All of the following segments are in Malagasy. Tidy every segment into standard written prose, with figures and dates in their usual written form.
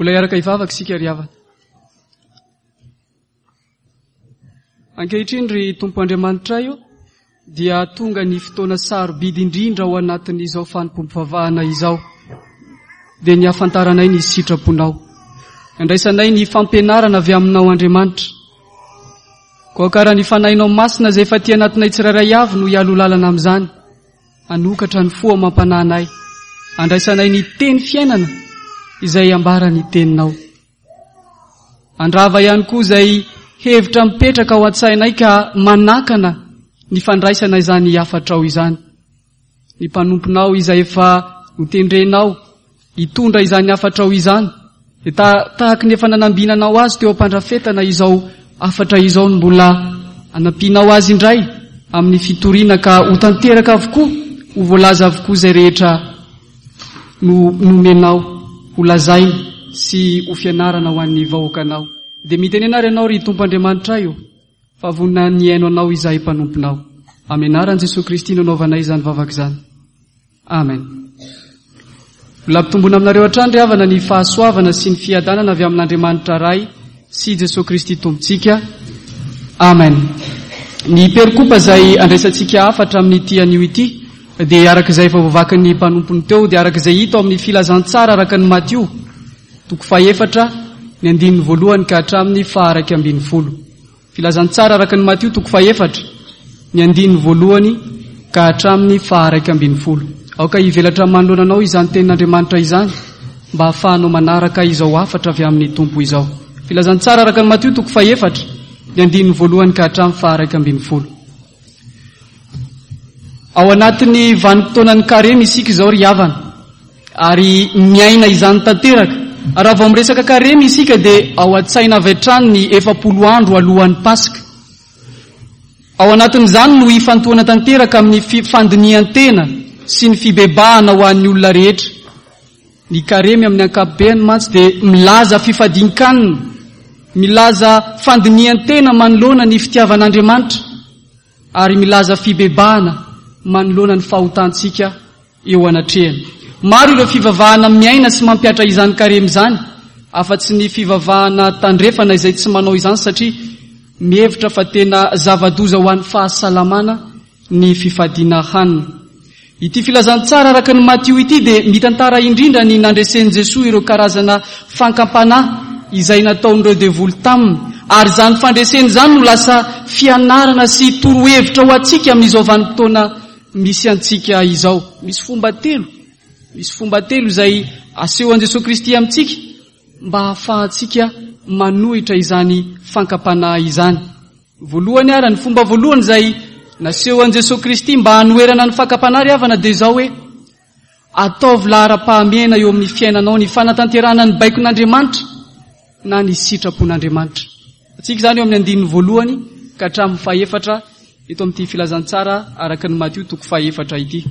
Mbola hiaraka hivavaka isika ry havana. Ankehitriny ry Tompo Andriamanitray o, dia tonga ny fotoana sarobidy indrindra ao anatin'izao fanompoam-pivavahana izao, dia ny hahafantaranay ny sitraponao. Andraisanay ny fampianarana avy aminao Andriamanitra. Koa kara ny Fanahinao Masina izay efa aty anatinay tsirairay avy no hialoha lalana amin'izany. Hanokatra ny fo amam-panahinay, handraisanay ny teny fiainana izay ambaran'ny teninao. Handrava ihany koa izay hevitra mipetraka ao an-tsainay ka manakana ny fandraisana izany hafatrao izany. Ny mpanomponao izay efa notendrenao hitondra izany hafatrao izany dia tahaky ny efa nanambinanao azy teo am-pandrafetana izao hafatra izao no mbola anampianao azy indray amin'ny fitoriana ka ho tanteraka avokoa, ho voalaza avokoa izay rehetra no nomenao ho lazaina sy ho fianarana ho an'ny vahoakanao. Dia mitenena ary ianao ry Tompo Andriamanitray ô, fa vonona ny hihaino anao izahay mpanomponao. Amin'ny anaran'i Jesoa Kristy no anaovanay izany vavaka izany. Amen. Mbola ampitomboina aminareo hatrany ry havana ny fahasoavana sy ny fiadanana avy amin'Andriamanitra Ray sy Jesoa Kristy Tompontsika. Amen. Ny perikopa izay andraisantsika hafatra amin'ity anio ity dia araka izay efa voavakin'ny mpanompony teo dia araka izay hita ao amin'ny filazantsara araka ny Matio toko fahefatra ny andininy voalohany ka hatramin'ny faha 11. Filazantsara araka an'i Matio toko fahefatra, ny andininy voalohany ka hatramin'ny faha-11. Aoka hivelatra manoloana anao izany tenin'Andriamanitra izany mba hahafahanao manaraka izao hafatra avy amin'ny Tompo izao. Filazantsara araka an'i Matio toko fahefatra, ny andininy voalohany ka hatramin'ny faha-11. Ao anatin'ny vanim-potoanan'ny karemy isika izao ry havana, ary miaina izany tanteraka. Raha vao miresaka karemy isika dia ao an-tsaina avy hatrany ny 40 andro alohan'ny Paska. Ao anatin'izany no ifantohana tanteraka amin'ny fandinihan-tena sy ny fibebahana ho an'ny olona rehetra. Ny karemy amin'ny ankapobeany mantsy dia milaza fifadian-kanina, milaza fandinihan-tena manoloana ny fitiavan'Andriamanitra, ary milaza fibebahana manoloana ny fahotantsika eo anatrehany. Maro ireo fivavahana miaina sy mampihatra izany karemy izany, afa-tsy ny fivavahana tandrefana izay tsy manao izany satria mihevitra fa tena zava-doza ho an'ny fahasalamana ny fifadiana hanina. Ity filazantsara araka ny Matio ity dia mitantara indrindra ny nandresen'i Jesoa ireo karazana fankampanahy izay nataon'ireo devoly taminy, ary izany fandresena izany no lasa fianarana sy torohevitra ho antsika amin'izao vanim-potoana misy antsika izao. Misy fomba telo, misy fomba telo izay asehon'i Jesoa Kristy amintsika mba hahafahantsika manohitra izany fankampanahy izany. Voalohany ara, ny fomba voalohany izay naseho an'i Jesoa Kristy mba hanoherana ny fakam-panahy ry havana dia izao hoe, ataovy laharam-pahamehana eo amin'ny fiainanao ny fanatanterahana ny baikon'Andriamanitra na ny sitrapon'Andriamanitra. Antsika izany eo amin'ny andininy voalohany ka hatramin'ny fahefatra eto amin'ity filazantsara araka ny Matio toko fahefatra ity.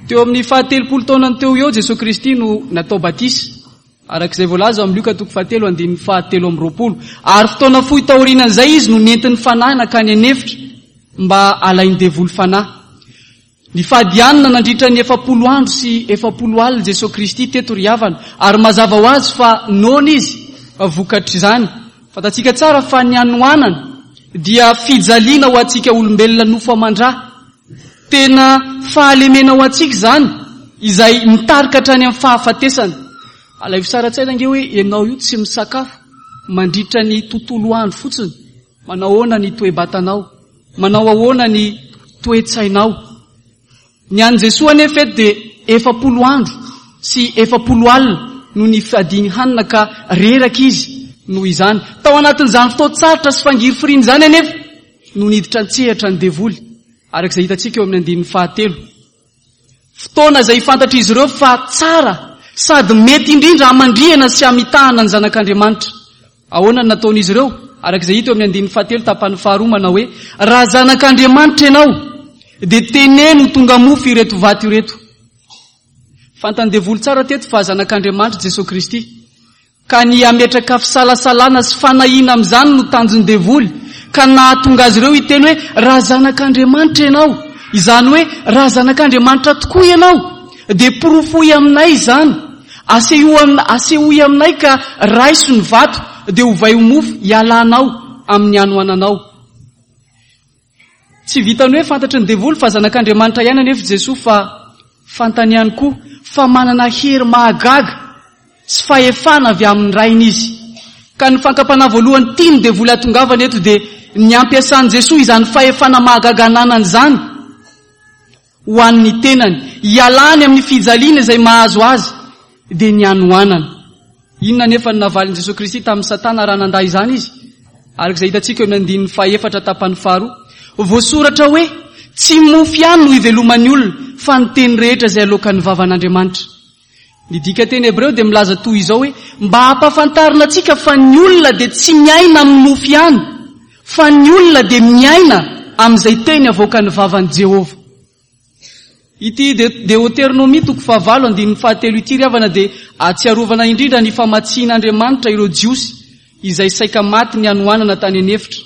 Teo amin'ny fahatelopolo taonany teo eo Jesoa Kristy no natao batisa. Araka izay voalaza ao amin'ny Lioka toko fahatelo andininy fahatelo amby 20. Ary fotoana fohy taorianan'izay izy no nentin'ny Fanahy nankany an'efitra mba halain'ny devoly fanahy. Nifady hanina nandritra ny 40 andro sy 40 alina Jesoa Kristy teto ry havana, ary mazava ho azy fa noana izy vokatr'izany. Fantatsika tsara fa ny hanoanana dia fijaliana ho antsika olombelona nofo aman-dra. Tena fahalemena ho antsika izany, izay mitarika hatrany amin'ny fahafatesana. Alaivo sary an-tsaina ange hoe ianao io tsy misakafo mandritra ny tontolo andro fotsiny. Manao ahoana ny toe-batanao? Manao ahoana ny toe-tsainao? Ny an'i Jesoa anefa eto dia 40 andro sy 40 alina no nifadiany hanina ka reraka izy noho izany. Tao anatin'izany fotoan-tsarotra sy fangirifiriana izany anefa no niditra an-tsehatra ny devoly, araka izay hitantsika eo amin'ny andininy fahatelo. Fotoana izay fantatr'izy ireo fa tsara sady mety indrindra hamandrihana sy hamitahana ny Zanak'Andriamanitra. Ahoana no nataon'izy ireo? Araka izay hita eo amin'ny andininy fahatelo tapany faharoa manao hoe, Raha Zanak'Andriamanitra ianao, dia teneno ho tonga mofo ireto vato ireto. Fantan'ny devoly tsara teto fa Zanak'Andriamanitra Jesoa Kristy. Ka ny hametraka fisalasalana sy fanahiana amin'izany no tanjon'ny devoly, ka nahatonga azy ireo hiteny hoe, Raha zanak'Andriamanitra ianao, izany hoe, raha zanak'Andriamanitra tokoa ianao, dia porofoy aminay izany. Asehoy aminay ka raiso ny vato dia ovay ho mofo hialanao amin'ny hanoananao. Tsy vitan'ny hoe fantatry ny devoly fa zanak'Andriamanitra ihany anefa Jesoa fa fantany ihany koa fa manana hery mahagaga sy fahefana avy amin'ny Rainy izy. Ka ny fankam-panahy voalohany tian'ny devoly hatongavana eto dia ny hampiasan'i Jesoa izany fahefana mahagaga ananany izany ho an'ny tenany, hialany amin'ny fijaliana izay mahazo azy, dia ny hanoanana. Inona anefa no navalin'i Jesoa Kristy tamin'i Satana raha nandà izany izy? Araka izay hitantsika eo amin'ny andininy fahefatra tapany faharoa. Voasoratra hoe, Tsy mofo ihany no iveloman'ny olona, fa ny teny rehetra izay aloakan'ny vavan'Andriamanitra. Ny dikanteny hebreo dia milaza toy izao hoe, Mba hampahafantarina antsika fa ny olona dia tsy miaina amin'ny mofo ihany, fa ny olona dia miaina amin'izay teny avoakan'ny vavan'i Jehovah. Ity Deoteronomia toko fahavalo andininy fahatelo ity ry havana dia ahatsiarovana indrindra ny famatsian'Andriamanitra ireo Jiosy izay saika maty ny hanoanana tany an'efitra.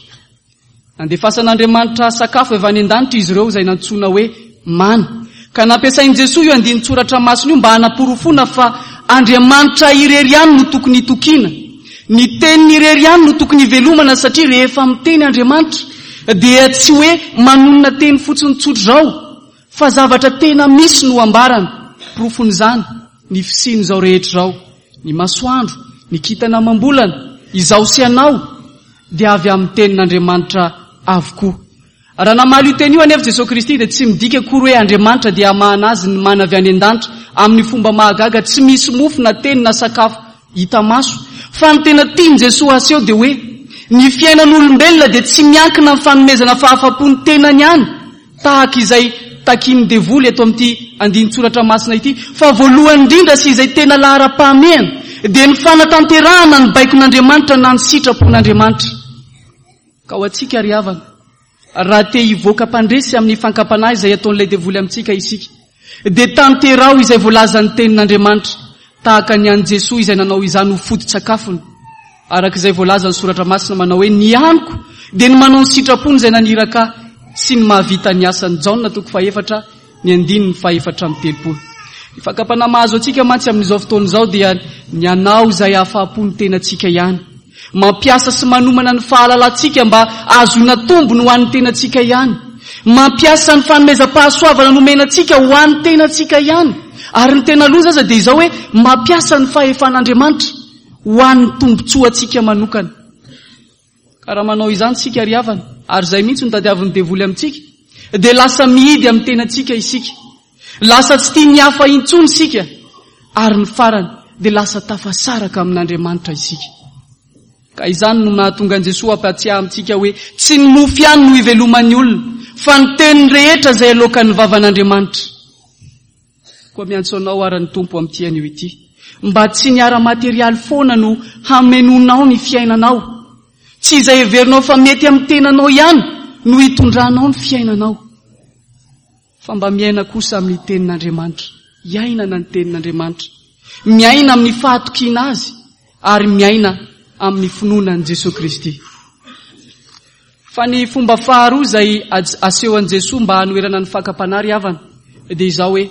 Nandefasan'Andriamanitra sakafo avy any an-danitra izy ireo izay nantsoina hoe mana. Ka nampiasain'i Jesoa io andinin-tsoratra masina io mba hanaporofoana fa Andriamanitra irery ihany no tokony hitokiana. Ny teniny irery ihany no tokony hivelomana satria rehefa miteny Andriamanitra dia tsy hoe manonona teny fotsiny tsotr'izao fa zavatra tena misy no ambarany. Porofon'izany ny fisian'izao rehetra izao, ny masoandro, ny kintana amam-bolana, izaho sy ianao, dia avy amin'ny tenin'Andriamanitra avokoa. Raha namaly io teny io anefa Jesoa Kristy dia tsy midika akory hoe Andriamanitra dia hamahana azy ny mana avy any an-danitra amin'ny fomba mahagaga tsy misy mofo na teny na sakafo hita maso. Fa ny tena tian'i Jesoa haseho dia hoe ny fiainan'olombelona dia tsy miankina amin'ny fanomezana fahafapo ny tenany ihany tahaka izay takian'ny devoly eto amin'ity andinin-tsoratra masina ity fa voalohany indrindra sy izay tena laharam-pahamehana dia ny fanatanterahana ny baikon'Andriamanitra na ny sitrapon'Andriamanitra. Ka ho antsika ry havana, raha te hivoaka mpandresy amin'ny fankam-panahy izay ataon'ilay devoly amintsika isika, dia tanteraho izay voalazan'ny Tenin'Andriamanitra, tahaka ny an'i Jesoa izay nanao izany ho foto-tsakafony, araka izay voalazan'ny Soratra Masina manao hoe, Ny haniko dia ny manao ny sitrapony izay naniraka Ahy sy ny mahavita ny asany. Jaona toko fahefatra, ny andininy fahefatra amby 30. Ny fakam-panahy mahazo antsika mantsy amin'izao fotoana izao dia ny hanao izay hahafahapo ny tenantsika ihany. Mampiasa sy manomana ny fahalalantsika mba hahazoana tombony ho an'ny tenantsika ihany. Mampiasa ny fanomezam-pahasoavana nomena antsika ho an'ny tenantsika ihany. Ary ny tena loza aza dia izao hoe mampiasa ny fahefan'Andriamanitra ho an'ny tombontsoantsika manokana. Ka raha manao izany isika ry havana, ary izay mihitsy no tadiavin'ny devoly amintsika, dia lasa mihidy amin'ny tenantsika isika. Lasa tsy tia ny hafa intsony isika, ary ny farany dia lasa tafasaraka amin'Andriamanitra isika. Ka izany no nahatonga an'i Jesoa hampatsiahy amintsika hoe tsy ny mofo ihany no iveloman'ny olona, fa ny teny rehetra izay aloakan'ny vavan'Andriamanitra. Koa miantso anao ara ny Tompo amin'ity anio ity, mba tsy ny ara-materialy foana no hamenoanao ny fiainanao. Tsy izay heverinao fa mety amin'ny tenanao ihany no hitondranao ny fiainanao. Fa mba miaina kosa amin'ny Tenin'Andriamanitra, iainana ny Tenin'Andriamanitra, miaina amin'ny fahatokiana Azy ary miaina amin'ny finoana an'i Jesoa Kristy. Fa ny fomba faharoa izay asehon'i Jesoa mba hanoherana ny fakam-panahy ry havana dia izao hoe,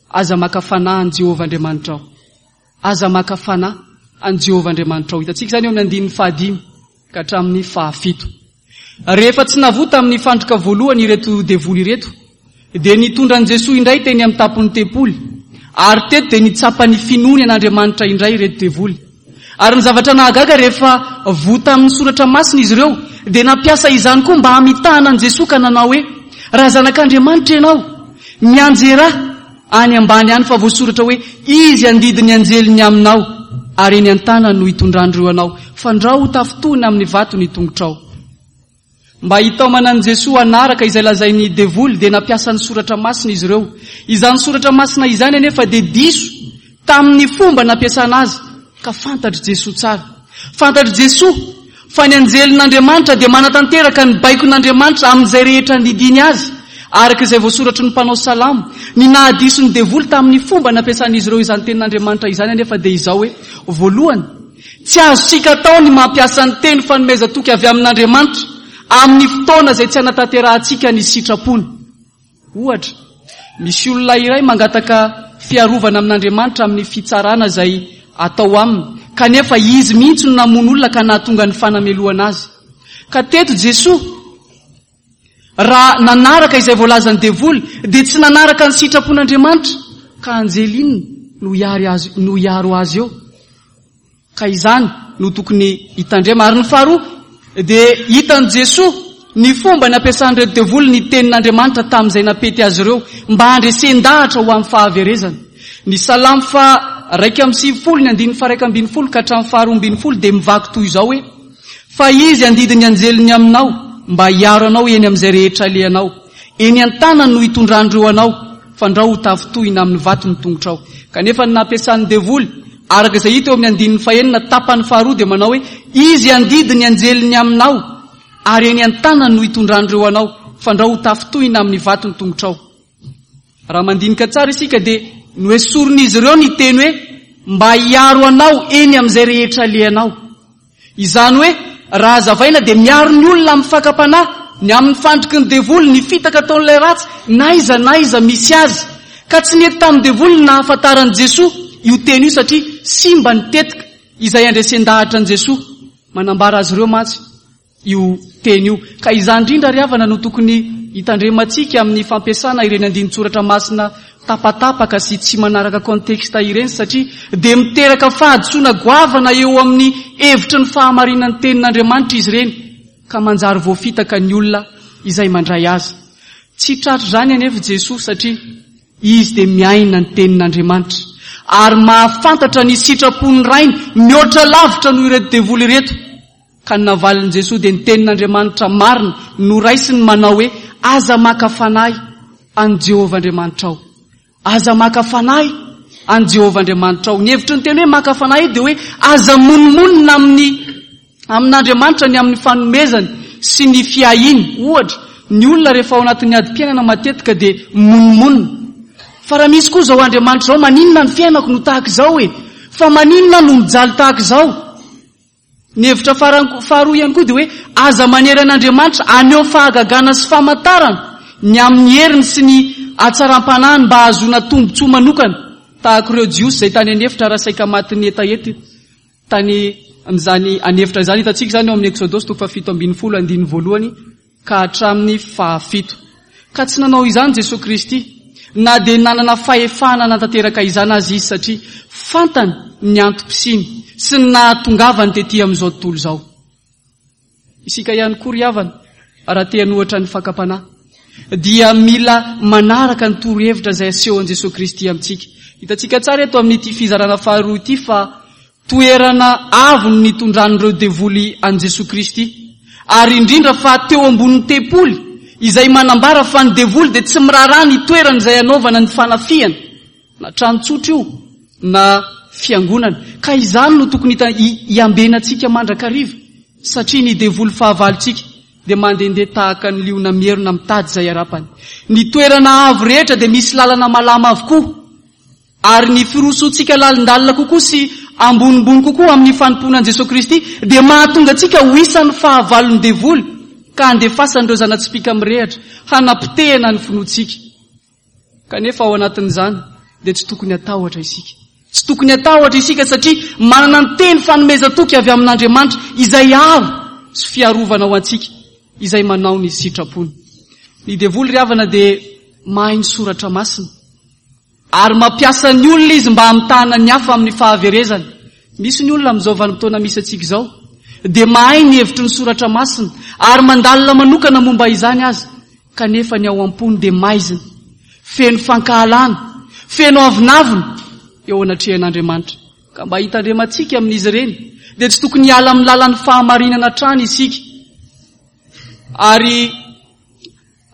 aza maka fanahy an'i Jehovah Andriamanitrao. Aza maka fanahy an'i Jehovah Andriamanitrao. Hitantsika izany eo amin'ny andininy fahadimy ka hatramin'ny fahafito. Rehefa tsy navoa tamin'ny fandrika voalohany ireto devoly ireto, dia nitondra an'i Jesoa indray teny amin'ny tampon'ny tempoly, ary teto dia nitsapa ny finoany an'Andriamanitra indray ireto devoly. Ary ny zavatra nahagaga rehefa voa tamin'ny soratra masina izy ireo, dia nampiasa izany koa mba hamitahana an'i Jesoa ka nanao hoe, Raha zanak'Andriamanitra ianao, mianjerà any ambany any fa voasoratra hoe, Izy handidy ny anjeliny aminao, ary eny an-tanany no hitondran'ireo anao, fandrao ho tafintohina amin'ny vato ny tongotrao. Mba hitaomana an'i Jesoa hanaraka izay lazain'ny devoly dia nampiasa ny soratra masina izy ireo. Izany soratra masina izany anefa dia diso tamin'ny fomba nampiasana azy ka fantatr'i Jesoa tsara. Fantatr'i Jesoa fa ny anjelin'Andriamanitra dia manatanteraka ny baikon'Andriamanitra amin'izay rehetra andidiany azy, araka izay voasoratry ny mpanao salamo. Ny nahadiso ny devoly tamin'ny fomba nampiasan'izy ireo izany tenin'Andriamanitra izany anefa dia izao hoe, voalohany, Tsy azontsika atao ny mampiasa ny teny fanomezan-toky avy amin'Andriamanitra amin'ny fotoana izay tsy anatanterahantsika ny sitrapony. Ohatra, misy olona iray mangataka fiarovana amin'Andriamanitra amin'ny fitsarana izay atao aminy, kanefa izy mihitsy no namono olona ka nahatonga ny fanamelohana azy. Ka teto Jesoa, raha nanaraka izay voalazan'ny devoly, dia tsy nanaraka ny sitrapon'Andriamanitra, ka anjely inona no hiary azy, no hiaro azy eo? Ka izany no tokony hitandrema. Ary ny faharoa dia hitan'i Jesoa ny fomba nampiasan'ireto devoly ny tenin'Andriamanitra tamin'izay nampety azy ireo mba handresen-dahatra ho amin'ny fahaverezana. Ny Salamo faha 91 ny andininy faha 11 ka hatramin'ny faha 12 dia mivaky toy izao hoe, Fa Izy handidy ny anjeliny aminao mba hiaro anao eny amin'izay rehetra alehanao. Eny an-tanany no hitondran'ireo anao, fandrao ho tafintohina amin'ny vato ny tongotrao. Kanefa ny nampiasan'ny devoly, araka izay hita eo amin'ny andininy fahenina tapany faharoa dia manao hoe, Izy handidy ny anjeliny aminao, ary eny an-tanany no hitondran'ireo anao, fandrao ho tafintohina amin'ny vato ny tongotrao. Raha mandinika tsara isika dia noesorin'izy ireo ny teny hoe mba hiaro anao eny amin'izay rehetra alehanao. Izany hoe, raha hazavaina dia miaro ny olona amin'ny fakam-panahy, ny amin'ny fandriky ny devoly, ny fitaka ataon'ilay ratsy, n'aiza n'aiza misy azy. Ka tsy nety tamin'ny devoly ny nahafantaran'i Jesoa io teny io satria simba ny tetika izay handresen-dahatra an'i Jesoa. Manambara azy ireo mantsy io teny io. Ka izany indrindra ry havana no tokony hitandremantsika amin'ny fampiasana ireny andinin-tsoratra masina tapatapaka sy tsy manaraka contexte ireny satria dia miteraka fahadisoana goavana eo amin'ny hevitry ny fahamarinan'ny tenin'Andriamanitra izy ireny ka manjary voafitaka ny olona izay mandray azy. Tsy tratr'izany anefa Jesoa satria Izy dia miaina ny tenin'Andriamanitra ary mahafantatra ny sitrapon'ny Rainy mihoatra lavitra noho ireto devoly ireto. Ka ny navalin'i Jesoa dia ny tenin'Andriamanitra marina noraisiny manao hoe, Aza maka fanahy an'i Jehovah Andriamanitrao. Aza maka fanahy an'i Jehovah Andriamanitrao. Ny hevitry ny teny hoe maka fanahy io dia hoe aza monomonona amin'ny amin'Andriamanitra ny amin'ny fanomezany sy ny fiahiany. Ohatra, ny olona rehefa ao anatin'ny adim-piainana matetika dia monomonona. Fa raha misy koa izao Andriamanitra izao, maninona ny fiainako no tahaka izao e? Fa maninona aho no mijaly tahaka izao? Ny hevitra farany faharoa ihany koa dia hoe aza manery an'Andriamanitra haneho fahagagana sy famantarana ny amin'ny heriny sy ny hatsaram-panahiny mba hahazoana tombontsoa manokana tahaka ireo Jiosy izay tany an'efitra raha saika matin'ny hetaheta tany amin'izany an'efitra izany. Hitantsika izany ao amin'ny Eksodosy toko fahafito ambin'ny folo andininy voalohany ka hatramin'ny fahafito. Ka tsy nanao izany Jesoa Kristy, na dia nanana fahefana hanatanteraka izany aza Izy, satria fantany ny antom-pisiany sy ny nahatongavany tety amin'izao tontolo izao. Isika ihany koa ry havana, raha te hanohatra ny fakam-panahy, dia mila manaraka ny torohevitra izay asehon'i Jesoa Kristy amintsika. Hitantsika tsara eto amin'ity fizarana faharoa ity fa Toerana avo no nitondran'ireo devoly an'i Jesoa Kristy, ary indrindra fa teo ambonin'ny tempoly, izay manambara fa ny devoly dia tsy miraharaha ny toerana izay anaovana ny fanafihana, na trano tsotra io na fiangonana. Ka izany no tokony hiambenantsika mandrakariva, satria ny devoly fahavalontsika dia mandehandeha tahaka ny liona mierona mitady izay harapany. Ny toerana avo rehetra dia misy lalana malama avokoa. Ary ny firosoantsika lalindalina kokoa sy ambonimbony kokoa amin'ny fanompoana an'i Jesoa Kristy dia mahatonga antsika ho isan'ny fahavalon'ny devoly ka handefasan'ireo zana-tsipìka mirehatra hanapotehana ny finoantsika. Kanefa ao anatin'izany dia tsy tokony hatahotra isika. Tsy tokony hatahotra isika satria manana ny teny fanomezan-toky avy amin'Andriamanitra izay aro sy fiarovana ho antsika izay manao ny sitrapony. Ny devoly ry havana dia mahay ny soratra masina. Ary mampiasa ny olona izy mba hamitahana ny hafa amin'ny fahaverezana. Misy ny olona amin'izao vanim-potoana misy antsika izao dia mahay ny hevitry ny soratra masina ary mandalina manokana momba izany aza, kanefa ny ao am-pony dia maizina, feno fankahalana, feno avonavona eo anatrehan'Andriamanitra. Ka mba hitandremantsika amin'izy ireny dia tsy tokony hiala amin'ny lalan'ny fahamarinana hatrany isika. Ary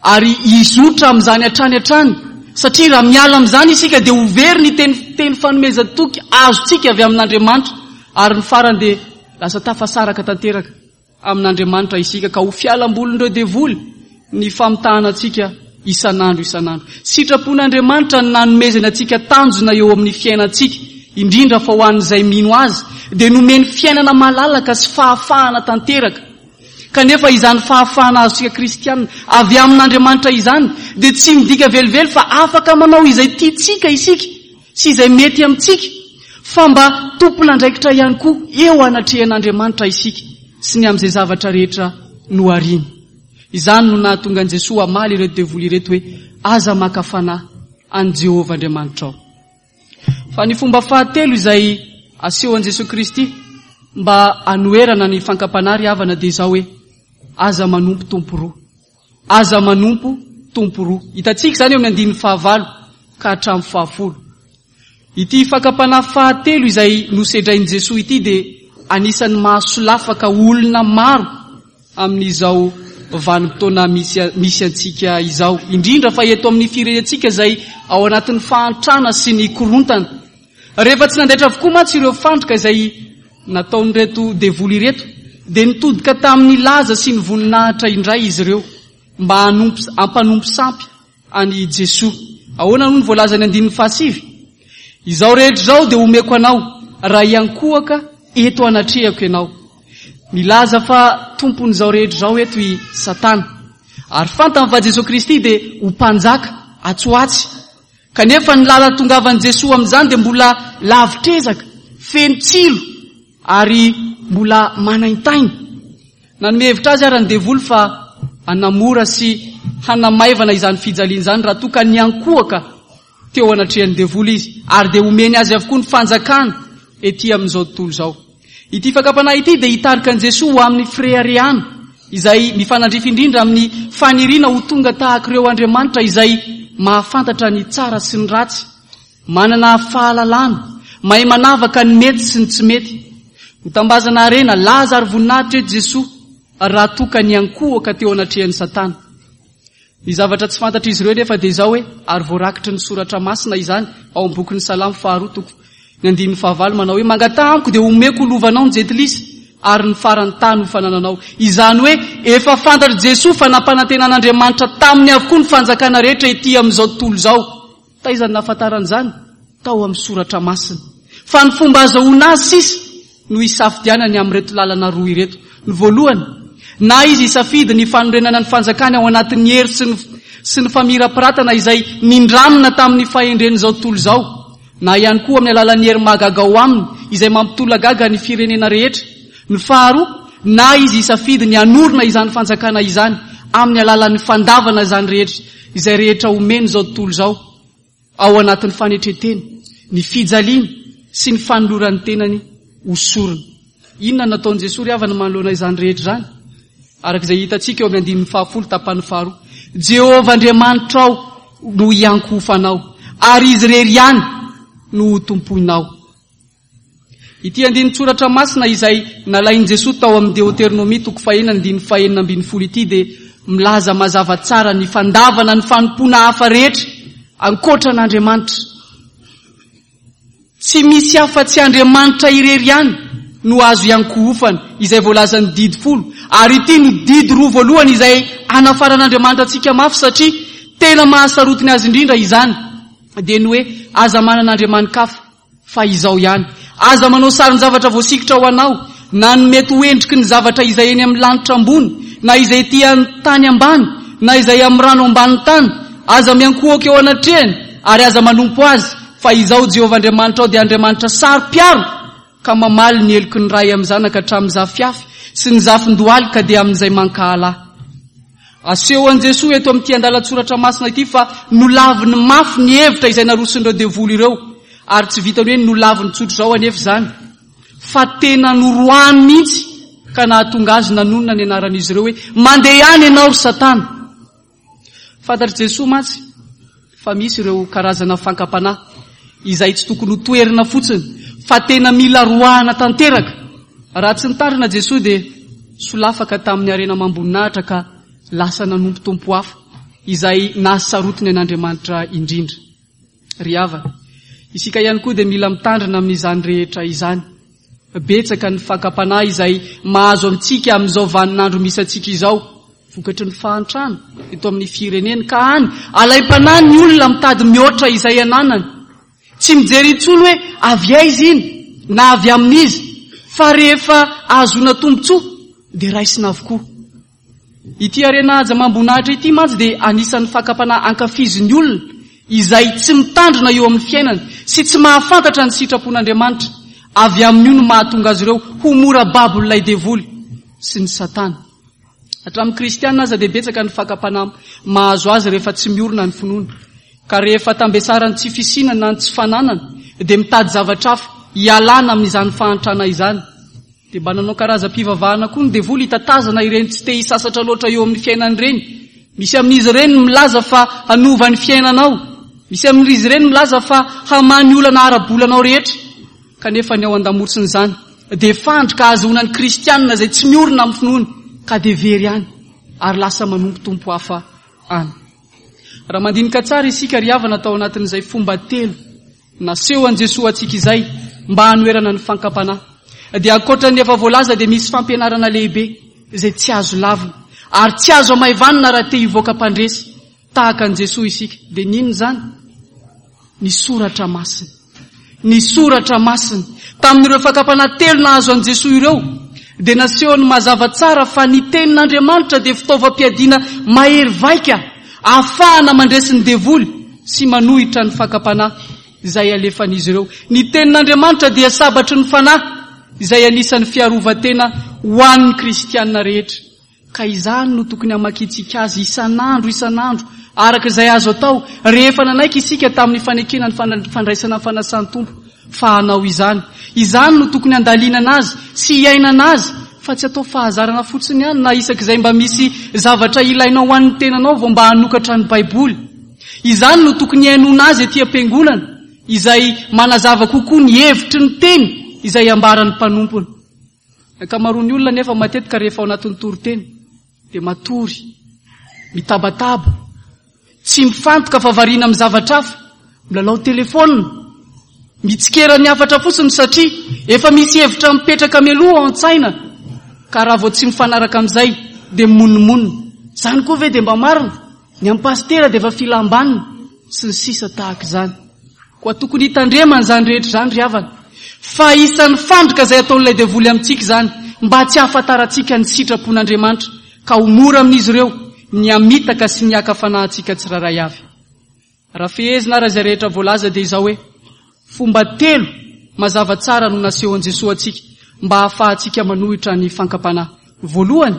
Ary hizotra amin'izany hatrany hatrany, satria raha miala amin'izany isika dia ho very ny teny teny fanomezan-toky azontsika avy amin'Andriamanitra, ary ny farany dia lasa tafasaraka tanteraka amin'Andriamanitra isika, ka ho fialambolin'ireo devoly ny famitahana antsika isan'andro isan'andro. Sitrapon'Andriamanitra ny nanomezany antsika tanjona eo amin'ny fiainantsika, indrindra fa ho an'izay mino Azy, dia nomeny fiainana malalaka sy fahafahana tanteraka. Kanefa izany fahafahana azontsika kristiana avy amin'Andriamanitra izany dia tsy midika velively fa afaka manao izay tiantsika isika. sy izay mety amintsika fa mba tompon'andraikitra ihany koa eo anatrehan'Andriamanitra isika sy ny amin'izay zavatra rehetra nohariany. Izany no nahatonga an'i Jesoa hamaly ireto devoly ireto hoe, Aza maka fanahy an'i Jehovah Andriamanitrao. Fa ny fomba fahatelo izay asehon'i Jesoa Kristy mba hanoherana ny fankam-panahy ry havana dia izao hoe, Aza manompo tompo roa. Aza manompo tompo roa. Hitantsika izany eo amin'ny andininy fahavalo ka hatramin'ny fahafolo. Ity fakam-panahy fahatelo izay nosedrain'i Jesoa ity dia anisan'ny mahasolafaka olona maro amin'izao vanim-potoana misy misy antsika izao, indrindra fa eto amin'ny firenentsika izay ao anatin'ny fahantrana sy ny korontana. Rehefa tsy nandaitra avokoa mantsy ireo fandrika izay nataon'ireto devoly ireto, dia nitodika tamin'ny laza sy ny voninahitra indray izy ireo mba hanompo hampanompo sampy an'i Jesoa. Ahoana no voalazan'ny andininy fahasivy? Izao rehetra izao dia omeko anao raha hiankohoka eto anatrehako ianao. Milaza fa tompon'izao rehetra izao eto i Satana. Ary fantany fa Jesoa Kristy dia ho mpanjaka atsy ho atsy. Kanefa ny lalan-tongavan'i Jesoa amin'izany dia mbola lavitr'ezaka, feno tsilo ary mbola manaintaina. Nanome hevitra azy ara ny devoly fa hanamora sy hanamaivana izany fijaliana izany raha toa ka niankohoka teo anatrehan'ny devoly izy, ary dia homeny azy avokoa ny fanjakana ety amin'izao tontolo izao. Ity fakam-panahy ity dia hitarika an'i Jesoa ho amin'ny fireharehana izay mifanandrify indrindra amin'ny faniriana ho tonga tahaka ireo andriamanitra izay mahafantatra ny tsara sy ny ratsy, manana fahalalana, mahay manavaka ny mety sy ny tsy mety. Hotambazana harena, laza ary voninahitra eto Jesoa raha toa ka niankohoka teo anatrehan'i Satana. Ny zavatra tsy fantatr'izy ireo anefa dia izao hoe, ary voarakitry ny Soratra Masina izany ao amin'ny bokin'ny Salamo faharoa toko ny andininy fahavalo manao hoe, Mangataha amiko dia homeko ho lovanao ny jentilisa ary ny faran'ny tany ho fanananao. Izany hoe efa fantatr'i Jesoa fa nampanantenan'Andriamanitra taminy avokoa ny fanjakana rehetra ety amin'izao tontolo izao. Taiza no nahafantarany izany? Tao amin'ny Soratra Masina. Fa ny fomba azahoana azy sisa no hisafidianany amin'ireto lalana roa ireto. Ny voalohany, na izy hisafidy ny fanorenana ny fanjakany ao anatin'ny hery sy ny sy ny famirapiratana izay nindramina tamin'ny fahendren'izao tontolo izao, na ihany koa amin'ny alalan'ny hery mahagaga ao aminy izay mampitolagaga ny firenena rehetra. Ny faharoa, na izy hisafidy ny hanorina izany fanjakana izany amin'ny alalan'ny fandavana izany rehetra izay rehetra omen'izao tontolo izao ao anatin'ny fanetren-tena, ny fijaliana sy ny fanoloran'ny tenany ho sorona. Inona no nataon'i Jesoa ry havana manoloana izany rehetra izany? Araka izay hitantsika eo amin'ny andininy fahafolo tapany faharoa. Jehovah Andriamanitrao no hiankohofanao, ary Izy irery ihany no hotompoinao. Ity andinin-tsoratra masina izay nalain'i Jesoa tao amin'ny Deoteronomia toko fahenina andininy fahenina ambin'ny folo ity dia milaza mazava tsara ny fandavana ny fanompoana hafa rehetra ankoatra an'Andriamanitra. Tsy misy afa-tsy Andriamanitra irery ihany no azo iankohofana, izay voalazan'ny didy folo, ary ity no didy roa voalohany izay anafaran'Andriamanitra antsika mafy satria tena mahasarotiny azy indrindra izany, dia ny hoe aza manana andriamani-kafa. Fa izao ihany, aza manao sarin-javatra voasikotra ho anao, na ny mety ho endriky ny zavatra izay eny amin'ny lanitra ambony, na izay ety an-tany ambany, na izay amin'ny rano ambanin'ny tany. Aza miankohoka eo anatrehany, ary aza manompo azy, fa Izaho Jehovah Andriamanitrao dia Andriamanitra saro-piaro, ka mamaly ny heloky ny ray amin'ny zanaka hatramin'ny zafiafy sy ny zafin-dohalika dia amin'izay mankahala Ahy. Aseho an'i Jesoa eto amin'ity andalan-tsoratra masina ity fa nolaviny mafy ny hevitra izay naroson'ireo devoly ireo, ary tsy vitan'ny hoe nolaviny tsotr'izao anefa izany, fa tena noroahany mihitsy ka nahatonga azy nanonona ny anaran'izy ireo hoe, Mandeha any ianao ry Satana! Fantatr'i Jesoa mantsy fa misy ireo karazana fankam-panahy izay tsy tokony ho toherina fotsiny fa tena mila roahana tanteraka. Raha tsy nitandrina Jesoa dia solafaka tamin'ny harena amam-boninahitra ka lasa nanompo tompo hafa izay nahasarotiny an'Andriamanitra indrindra. Ry havana, isika ihany koa dia mila mitandrina amin'izany rehetra izany. Betsaka ny fakam-panahy izay mahazo antsika amin'izao vaninandro misy antsika izao, vokatry ny fahantrana eto amin'ny firenena, ka any alaim-panahy ny olona mitady mihoatra izay ananany. Tsy mijery intsony hoe avy aiza iny na avy amin'iza, fa rehefa ahazoana tombontsoa dia raisina avokoa. Ity harena haja amam-boninahitra ity mantsy dia anisan'ny fakam-panahy ankafizin'ny olona. Izay tsy mitandrina eo amin'ny fiainany sy tsy mahafantatra ny sitrapon'Andriamanitra, avy amin'io no mahatonga azy ireo ho mora babon'ilay devoly sy ny satana. Hatramin'ny kristiana aza dia betsaka ny fakam-panahy mahazo azy rehefa tsy miorina ny finoany. Ka rehefa tambesaran'ny tsy fisiana na ny tsy fananana dia mitady zavatra hafa hialana amin'izany fahantrana izany. Dia mba nanao karazam-pivavahana koa ny devoly hitatazana ireny tsy te hisasatra loatra eo amin'ny fiainany ireny. Misy amin'izy ireny ny milaza fa hanova ny fiainanao. Misy amin'izy ireny milaza fa hamaha ny olana ara-bolanao rehetra. Kanefa ny ao an-damosin'izany dia fandrika ahazoana ny kristianina izay tsy miorina amin'ny finoany ka dia very any ary lasa manompo tompo hafa any. Raha mandinika tsara isika ry havana tao anatin'izay fomba telo Naseho an'i Jesoa antsika izay mba hanoherana ny fankam-panahy. Dia ankoatra ny efa voalaza dia misy fampianarana lehibe izay tsy azo lavina ary tsy azo amaivanina raha te hivoaka mpandresy tahaka an'i Jesoa isika. Dia n'inona izany? Ny soratra masina. Ny soratra masina. Tamin'ireo fakam-panahy telo nahazo an'i Jesoa ireo dia nasehony mazava tsara fa ny tenin'Andriamanitra dia fitaovam-piadiana mahery vaika ahafahana mandresy ny devoly sy manohitra ny fakam-panahy izay alefan'izy ireo. Ny Tenin'Andriamanitra dia sabatry ny fanahy izay anisan'ny fiarovan-tena ho an'ny kristiana rehetra. Ka izany no tokony hamakiantsika azy isan'andro isan'andro, araka izay azo atao, rehefa nanaiky isika tamin'ny fanekena ny fandraisana ny fanasan'ny Tompo fa hanao izany. Izany no tokony handalinana azy sy hiainana azy fa tsy atao fahazarana fotsiny ihany na isak'izay mba misy zavatra ilainao ho an'ny tenanao vao mba hanokatra ny Baiboly. Izany no tokony hihainoana azy ety am-piangonana izay manazava kokoa ny hevitry ny teny izay ambaran'ny mpanompony. Ny ankamaroan'ny olona anefa matetika rehefa ao anatin'ny toriteny dia matory, mitabataba, tsy mifantoka fa variana amin'ny zavatra hafa, milalao telefaonina, mitsikera ny hafatra fotsiny satria efa misy hevitra mipetraka mialoha ao an-tsaina ka raha vao tsy mifanaraka amin'izay dia mimonomonona. Izany koa ve dia mba marina? Ny an'i pasitera dia efa filam-banina sy ny sisa tahaka izany. Koa tokony hitandremana izany rehetra izany ry havana. Fa isan'ny fandrika izay ataon'ilay devoly amintsika izany mba tsy hahafantarantsika ny sitrapon'Andriamanitra ka ho mora amin'izy ireo ny hamitaka sy ny haka fanahy antsika tsirairay avy. Raha fehezina ary izay rehetra voalaza dia izao hoe, fomba telo mazava tsara no nasehon'i Jesoa antsika mba hahafahantsika manohitra ny fankam-panahy. Voalohany,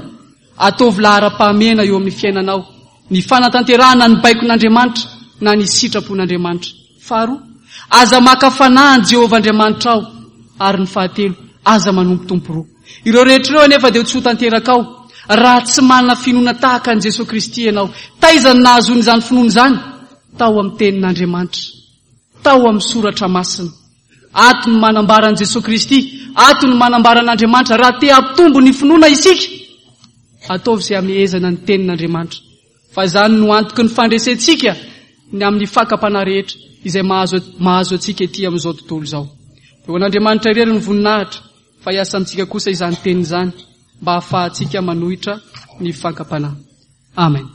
ataovy laharam-pahamehana eo amin'ny fiainanao ny fanatanterahana ny baikon'Andriamanitra na ny sitrapon'Andriamanitra. Faharoa, aza maka fanahy an'i Jehovah Andriamanitrao. Ary ny fahatelo, aza manompo tompo roa. Ireo rehetra ireo anefa dia tsy ho tanterakao raha tsy manana finoana tahaka an'i Jesoa Kristy ianao. Taiza no nahazoana izany finoana izany? Tao amin'ny Tenin'Andriamanitra. Tao amin'ny Soratra Masina. Ato no manambara an'i Jesoa Kristy, ato no manambara an'Andriamanitra. Raha te hampitombo ny finoana isika, ataovy izay hamehezana ny Tenin'Andriamanitra. Fa izany no antoky ny fandresentsika ny amin'ny fakam-panahy rehetra izay mahazo mahazo antsika ety amin'izao tontolo izao. Dia ho an'Andriamanitra irery ny voninahitra, fa hiasa amintsika kosa izany teny izany mba hahafahantsika manohitra ny fakam-panahy. Amen.